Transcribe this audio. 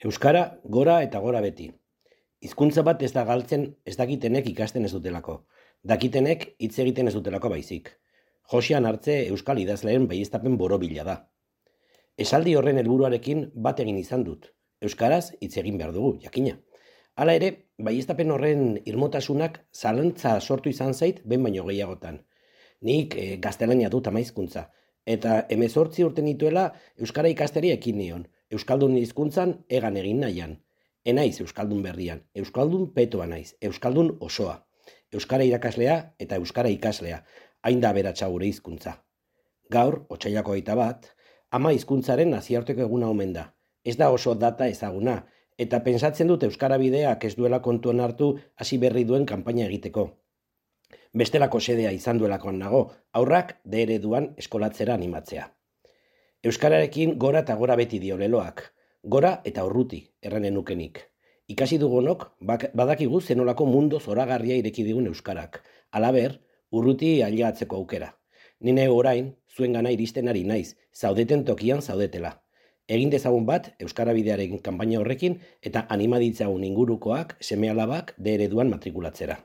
Euskara gora eta gora beti. Hizkuntza bat ez da galtzen ez dakitenek ikasten ez dutelako. Dakitenek hitz egiten ez dutelako baizik. Josean Hartze euskal idazleen baieztapen borobila da. Esaldi horren helburuarekin bat egin izan dut. Euskaraz hitz egin behar dugu, jakina. Hala ere, baieztapen horren irmotasunak zalantza sortu izan zait behin baino gehiagotan. Nik gaztelania dut ama hizkuntza, eta 18 urte nituela euskara ikasteri ekin nion, euskaldun hizkuntzan egan egin nahian. Enaiz euskaldun berrian, euskaldun petoa naiz, euskaldun osoa. Euskara irakaslea eta euskara ikaslea, hain da aberatsa gure hizkuntza. Gaur, otsailako 21, ama hizkuntzaren nazioarteko eguna omen da. Ez da oso data ezaguna, eta pentsatzen dut euskara bideak ez duela kontuan hartu hasi berri duen kanpaina egiteko. Bestelako sedea izan duelakoan nago, aurrak de ereduan eskolatzera animatzea. Euskararekin gora eta gora beti dio leloak, gora eta urruti, erranen nukenik. Ikasi dugunok, badakigu zenolako mundu zoragarria ireki digun euskarak, halaber, urruti ailegatzeko aukera. Nine orain, zuen gana iristen ari naiz, zaudeten tokian zaudetela. Egin dezagun bat euskara bidearen kanpaina horrekin eta anima ditzagun ingurukoak seme-alabak de ereduan matrikulatzera.